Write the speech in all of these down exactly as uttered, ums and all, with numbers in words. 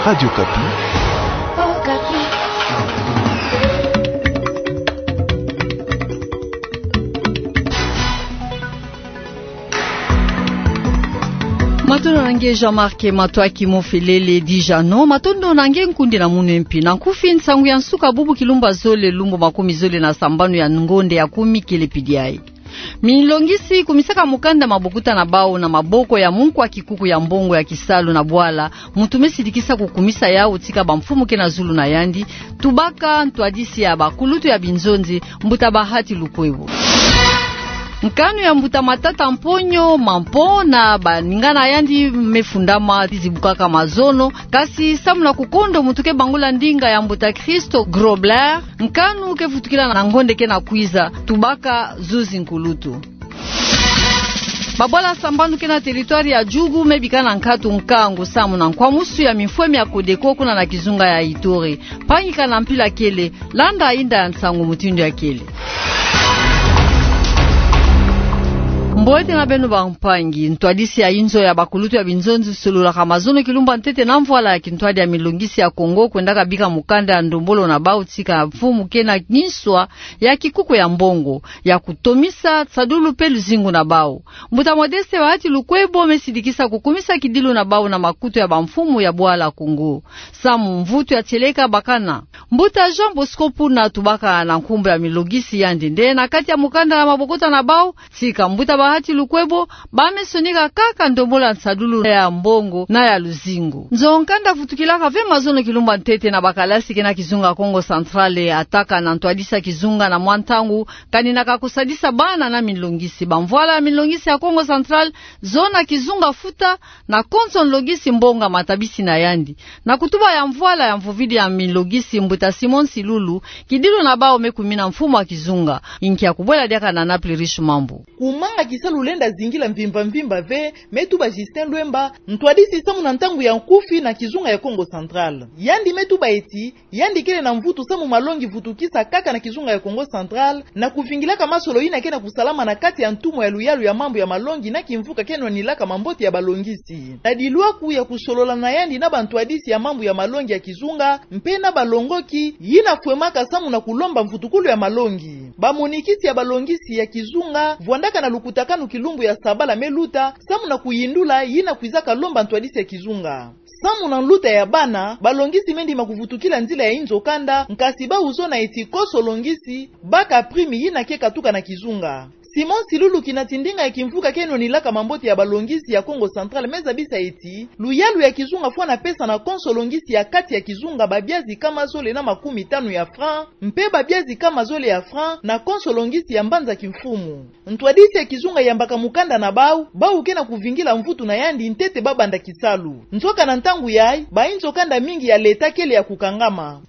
Radio Okapi. Matondo na nge Jean-Marc Matoaki Mofelele Dijano, matondo na nge nkundi na munu mpi. Na nkufi, nsangu ya nsuka bubu kilumbu zole lumbu makumi zole na sambanu ya ngonde ya kumi kele pidi ayi. Milongisi kumisaka mukanda mabokuta na bawu na maboko ya munkwa kikuku ya mbongo ya kisalu na bwala, muntu me sidikisa kukumisa yawu tika bamfumu ke na zulu na yandi, tubaka ntwadisi ya bakulutu ya binzonzi, mbuta Bahati Lukwebo. Nkanu ya mbuta Matata Mponyo Mampo na baningana yandi me fundama zibukaka mazono, kasi samu na kukondo muntu ke bangula ndinga ya mbuta Christo Grobler, nkanu ke vutukila na ngonde ke na kwiza, tubaka zuzi nkulutu. Babwala sambanu ke na territoire ya Djugu me bika na nkatu nkangu samu na nkwamusu ya mifwemi ya Codeco kuna na kizunga ya Ituri. Mpangi, kana mpila kele, landa inda ya nsangu mutindu ya kele. Mbote na beno bampangi. Ntwadisi ya inzo ya bakulutu ya binzonzi sololaka mazono kilumbu ya ntete na mvwala ya kintwadi ya milongisi ya Kongo kwendaka bika mukanda ya ndombolo na bawu tika mfumu ke na kinswa ya kikuku ya mbongo ya kutomisa nsadulu mpe luzingu na bawu. Mbuta Modeste Bahati Lukwebo me sidikisa kukumisa kidilu na bawu na makutu ya bamfumu ya bwala Kongo. Samu mvutu ya tieleka bakana. Mbuta Jean Bosco Puna, tubaka na nkumbu ya milongisi yandi nde na kati ya mukanda ya mabokuta na bawu, tika mbuta Bahati Lukwebo, ba me sonika kaka ndombolo ya nsadulu ya mbongo na ya luzingu. Nzo-nkanda vutukilaka ve mazono kilumbu ya ntete na bakalasi ke na kizunga Kongo Central, ataka na ntwadisi ya kizunga na mwa ntangu, kaninaka kusadisa bana na milongisi. Bamvwala ya milongisi ya Kongo Central, zona kizunga futa, na konso nlongisi mbongo ya matabisi na yandi. Na kutuba ya mvwala ya mvuvidi ya milongisi, mbuta Simon Silulu, kidilu na bawu me kumina mfumu ya kizunga. Inki ya kubwela diaka na Naples Riche Mambu. Kumanga kisalu lenda zingila mvimba mvimba ve, me tuba Justin Lwemba, ntwadisi samu na ntangu ya nkufi na kizunga ya Kongo Central. Yandi me tuba eti, yandi kele na mvutu samu malongi vutukisa kaka na kizunga ya Kongo Central, na kuvingilaka masolo yina ke na kusalama na kati ya ntumwa ya luyalu ya mambu ya malongi na kimvuka ke nwanilaka mambote ya balongisi. Na dilwaku ya kusolola na yandi na bantwadisi ya mambu ya malongi ya kizunga, mpe na balongoki, yina fwemaka samu na kulomba mvutukulu ya malongi. Bamonikisi ya balongisi ya kizunga, vwandaka na lukutakanu kilumbu ya sabala me luta, samu na kuyindula, yina kwizaka lomba ntwadisi ya kizunga. Samu na nluta ya bana, balongisi me ndima kuvutukila nzila ya inzo-kanda, nkasi bawu zona eti konso longisi, baka prime yina ke katuka na kizunga. Simon Silulu, kinati ndinga ya kimvuka ke nwanilaka mambote ya balongisi ya Kongo Central, me zabisa eti, luyalu ya kizunga fwana pesa na konso longisi ya kati ya kizunga babia zikama zole na makumi tanu ya franc, mpe babia zikama zole ya franc na konso longisi ya mbanza kimfumu. Ntwadisi ya kizunga yambaka mukanda na bawu, bawu ke na kuvingila mvutu na yandi ntete babanda kisalu. Nzoka na ntangu yayi, ba inzo-kanda mingi ya leta kele ya kukangama.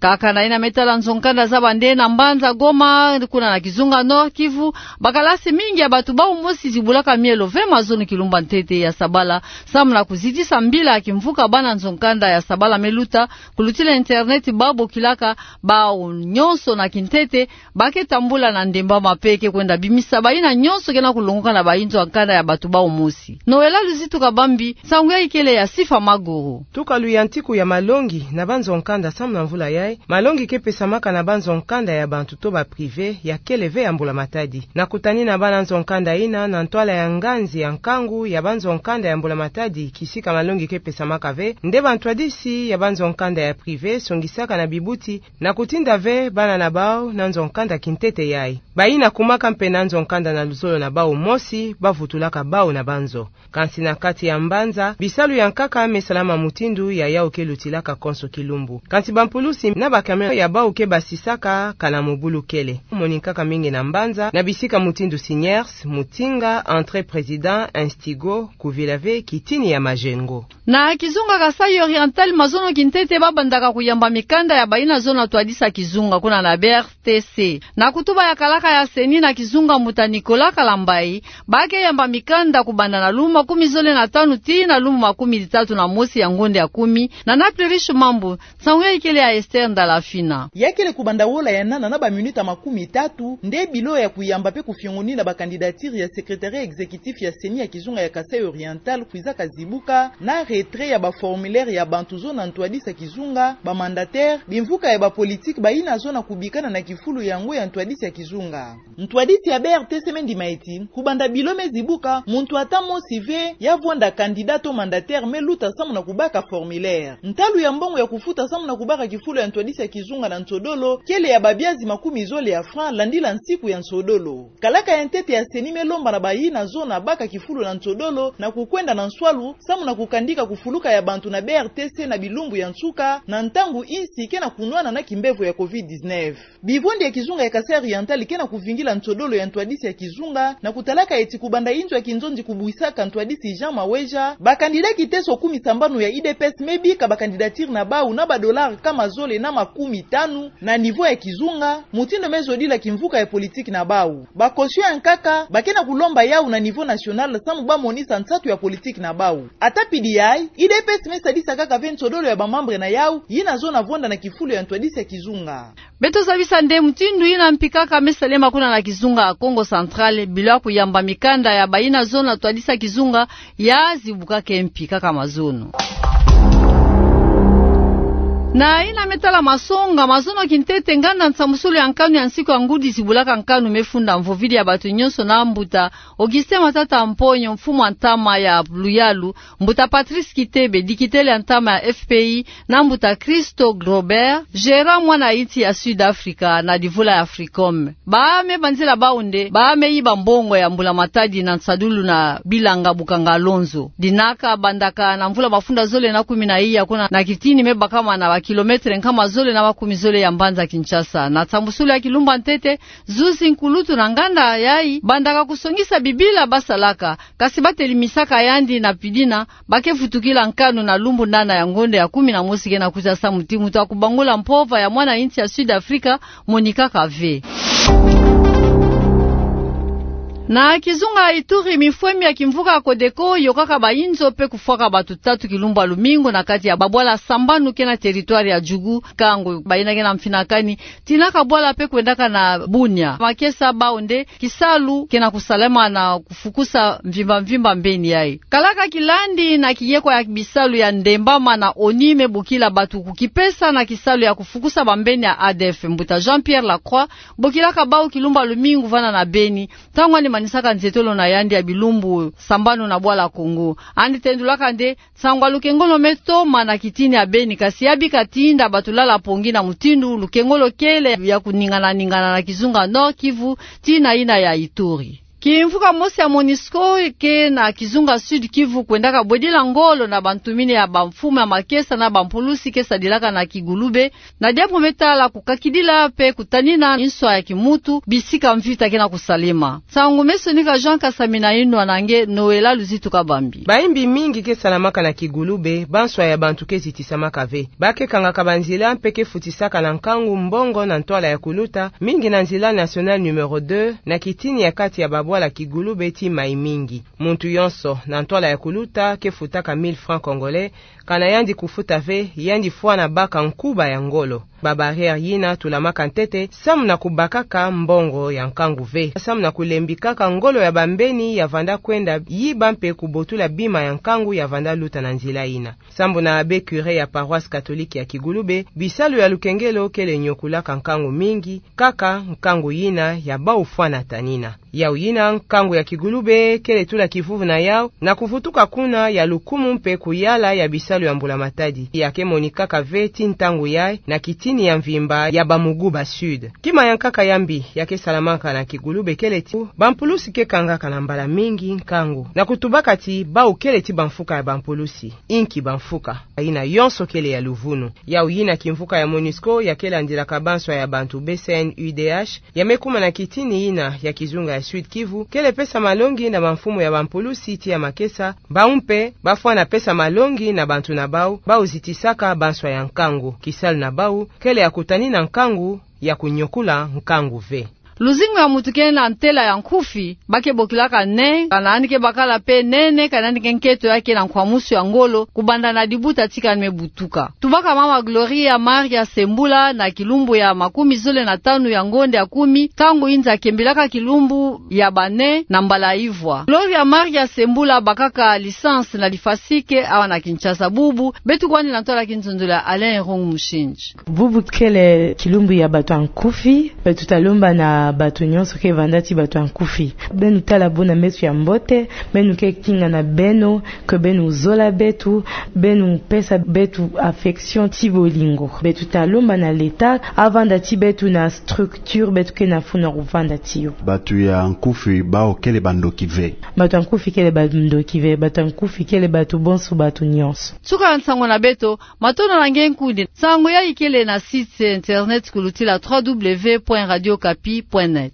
Kaka na yina me tala nzo-nkanda zaba nde na mbanza Goma, kuna na kizunga Nord-Kivu, bakalasi mingi ya batu bawu mosi zibulaka mielo ve mazono kilumbu ya ntete ya sabala, samu na kuzitisa mbila ya kimvuka bana nzo-nkanda ya sabala me luta, kulutila internet babokilaka bawu nyonso na kintete, ba ke tambula na ndemba mpe ke kwenda bimisa bayina nyonso ke na kulongoka na ba inzo-nkanda ya batu bawu mosi. Noëlla Luzitu Kabambi, nsangu yayi kele ya Sifa Maguru. Tuka luyantiku ya malongi na banzo-nkanda samu na mvula yayi, malongi ke pesamaka na banzo-nkanda ya bantu to ba privé ya kele ve ya mbula-matadi. Na kutani na bana nzo-nkanda yina na ntwala ya nganzi ya nkangu ya banzo-nkanda ya mbula-matadi, kisika malongi ke pesamaka ve, nde bantwadisi ya banzo-nkanda ya privé songisaka na bibuti na kutinda ve bana na bawu na nzo-nkanda kintete yayi. Bayina kumaka mpe na nzo-nkanda na luzolo na bawu mosi, bavutulaka bawu na banzo. Kansi na kati ya mbanza, bisalu ya nkaka me salama mutindu ya yawu ke lutilaka konso kilumbu. Kansi bampulusi na ba camion ya bawu ke basisaka kana mobulu kele. Moni nkaka mingi na mbanza, na bisika mutindu Siniers, Mutinga, Entrée Président, Instigo, kuvila ve kitini ya Majengo. Na kizunga Kasaï Oriental, mazono kintete babandaka kuyamba mikanda ya bayina zona twadisa kizunga kuna na B R T C. Na kutuba ya kalaka ya CENI na kizunga, mbuta Nicolas Kalambayi, ba ke yamba mikanda kubanda na lumbu makumi zole na tanu tii na lumbu makumi tatu na mosi ya ngonde ya kumi, na Naples Riche Mambu, nsangu yayi kele ya Esther Ndala Fina. Ya kele kubanda wola ya nana na ba minuta makumi tatu, nde bilo ya kuyamba pe kufiongonina ba candidature ya secrétariat exécutif ya CENI ya kizunga ya Kasaï Oriental kwizaka zibuka, na retrait ya ba formulaire ya bantu zo na ntwadisi ya kizunga, ba mandataire, bimvuka ya ba politique bayina zo na kubikana na kifulu yango ya ntwadisi ya kizunga. Ntwadisi ya B R T C me ndima ti, kubanda bilo me zibuka, muntu ata mosi ve ya vwanda candidat to mandataire me luta samu na kubaka formulaire. Ntalu ya mbongo ya kufuta samu na kubaka kifulu ya ntwadisi ya kizunga na nsodolo, kele ya ba biazi makumi zole ya franc, landila nsiku ya nsodolo. Kalaka ya ntete ya CENI me lomba na bayina zo na baka kifulu na nsodolo, na kukwenda na nswalu, samu na kukandika kufuluka ya bantu na B R T C na bilumbu ya nsuka, na ntangu insi ke na kunwana na kimbevo ya covid dix-neuf. Bivondi ya kizunga ya Kasaï Oriental ke na kuvingila nsodolo ya ntwadisi ya kizunga, na kutalaka ti kubanda inzo ya kinzonzi kubwisaka ntwadisi Jean Maweja, ba candidat kiteso kumi sambanu ya U D P S me bika ba candidature na bau na ba dollar nkama zole na makumi tanu na niveau ya kizunga, mutindu me zodila kimvuka ya politique na bau. Ba caution ya nkaka, ba ke na kulomba yau na niveau national, samu ba monisa nsatu ya politique na bau. Ata pidi yayi, U D P S me sadisa kaka ve nsodolo ya ba membre na yau, yina zo na vwanda na kifulu ya ntwadisi ya kizunga. Beto zabisa nde mutindu yina mpikaka me salema kuna na kizunga Kongo Central, bilo ya kuyamba mikanda ya bayina zo na ntwadisi ya kizunga, ya zibuka ke mpikaka mazono. Na yina me tala masonga, mazono kintete nganda nsambusulu ya nkanu ya nsiku ya ngudi zibulaka nkanu me funda mvovidi ya bantu nyonso na mbuta Augustin Matata Mponyo, mfumu ya ntama ya luyalu, mbuta Patrice Kitebe, dikitele ya ntama ya F P I, na mbuta Christo Grobert, gérant mwana insi ya Sud Africa na divula ya Africom. Ba me banzila bau nde ba me yiba mbongo ya mbula matadi na nsadulu na bilanga bukanga lonzo. Dinaka bandaka na mvula mafunda zole na kumi na iya kuna na kitini me bakama na ba kilomètre nkama zole na makumi zole ya mbanza Kinshasa. Na nsambusulu ya kilumbu ya ntete, zuzi nkulutu na nganda yayi bandaka kusongisa bibila ba salaka, kasi ba telimisaka yandi na pidina, ba ke vutukila nkanu na lumbu nana ya ngonda ya kumi na mosi ke na kwiza samu ti muntu ya kubangula mpova ya mwana insi ya Sud Africa monikaka ve. Na kizunga Ituri, mifwemi ya kimvuka Codeco yokaka bayinzo pe kufwaka bantu tatu kilumbu ya lumingu na kati ya babwala sambanu ke na territoire ya Djugu, nkangu bayina ke na mfinakani, tinaka bwala pe kwendaka na Bunia. Makesa bau nde kisalu ke na kusalama na kufukusa mvimba mvimba mbeni yayi. Kalaka kilandi na kiyeko ya bisalu ya ndembama na ONU me bokila bantu kukipesa na kisalu ya kufukusa bambeni ya A D F, mbuta Jean-Pierre Lacroix bokilaka bau kilumbu ya lumingu vana na Beni, ntangu yandi manisaka nzietolo na yandi ya bilumbu sambanu na bwala Congo. Yandi tendulaka nde nsangu ya lukengolo me toma na kitini ya Beni, kasi ya bika tinda bantu lala pongi na mutindu lukengolo kele ya kuningana ningana na kizunga Nord-Kivu tii na yina ya Ituri. Kimvuka mosi ya MONUSCO ke na kizunga Sud-Kivu kwendaka bwedila ngolo na bantumini ya bamfumu ya makesa na bampulusi ke sadilaka na Kigulube, na diambu me tala kukakidila pe kutanina nswa ya kimuntu bisika mvita ke na kusalema. Nsangu me sonika Jean Kasamina Inwa na nge Noëlla Luzitu Kabambi. Bayimbi mingi ke salamaka na Kigulube, banswa ya bantu ke zitisamaka ve. Ba ke kangaka banzila mpe ke futisaka na nkangu mbongo na ntwala ya kuluta, mingi na nzila nationale numéro deux, na kitini ya kati ya babwala Kigulube tii Maïmingi. Muntu yonso, na ntwala ya kuluta, ke futaka mille francs congolais, kana yandi kufuta ve, yandi fwana baka nkuba ya ngolo. Ba barrières yina tulamaka ntete, samu na kubakaka mbongo ya nkangu ve, samu na kulembikaka ngolo ya bambeni ya vanda kwenda yiba mpe kubotula bima ya nkangu ya vanda luta na nzila yina. Sambu na abbé curé ya paroisse catholique ya Kigulube, bisalu ya lukengelo kele nyokulaka nkangu mingi, kaka nkangu yina ya bau fwana tanina. Yau yina nkangu ya Kigulube kele tula kivuvu na yau, na kuvutuka kuna ya lukumu mpe kuyala ya bisalu ya mbula matadi. Ya ke monikaka ve tii ntangu yayi na kitini ya mvimba ya Bamuguba Sud. Kima ya nkaka ya mbi ya ke salamaka na Kigulube kele ti bampulusi ke kangaka na mbala mingi nkangu, na kutubaka ti bau kele ti bamfuka ya bampulusi, inki bamfuka. Yina yonso kele ya luvunu. Yau yina kimvuka ya MONUSCO ya ke landilaka banswa ya bantu, B C N U D H, ya me kuma na kitini yina ya kizunga ya Sud-Kivu, kele pesa malongi na bamfumu ya bampulusi tii ya makesa, bau mpe bafwana pesa malongi na bantu na bau, bau zitisaka banswa ya nkangu. Kisalu na bau kele ya kutanina nkangu, ya kunyokula nkangu ve. Luzingu ya moto ke na ntela ya nkufi, ba ke bokilaka nen, kana yandi ke bakala pe nene, kana yandi ke nketo ya ke na nkwamusu ya ngolo, kubanda na dibuta tika yandi me butuka. Tubaka mama Gloria Maria Sembula na kilumbu ya makumi zole na tanu ya ngonde ya kumi, ntangu yinza kembilaka kilumbu ya bane na mbala ivwa. Gloria Maria Sembula bakaka licence na lifasike, awa na Kinshasa bubu, beto kwandi na ntwala kinzonzolo ya Alain Erong Mushindji. Bubu kele kilumbu ya bato ya nkufi, beto talomba na bato nyonso ke vanda ti bato ya nkufi. Beno tala bo na meso ya mbote, beno ke kinga na beno, ke beno zola beto, beno pesa beto affection ti bolingo. Beto talomba na l'État, avanda ti beto na structure, beto ke na funu ya kuvanda ti yo. Bato ya nkufi bawu kele bandoki ve? Bato ya nkufi kele bandoki ve, bato ya nkufi kele bato bonso, bato nyonso. Nsuka ya nsango na beto, matondo na nge nkundi. Nsango yayi kele na site internet kulutila trois W point radio kapi point net.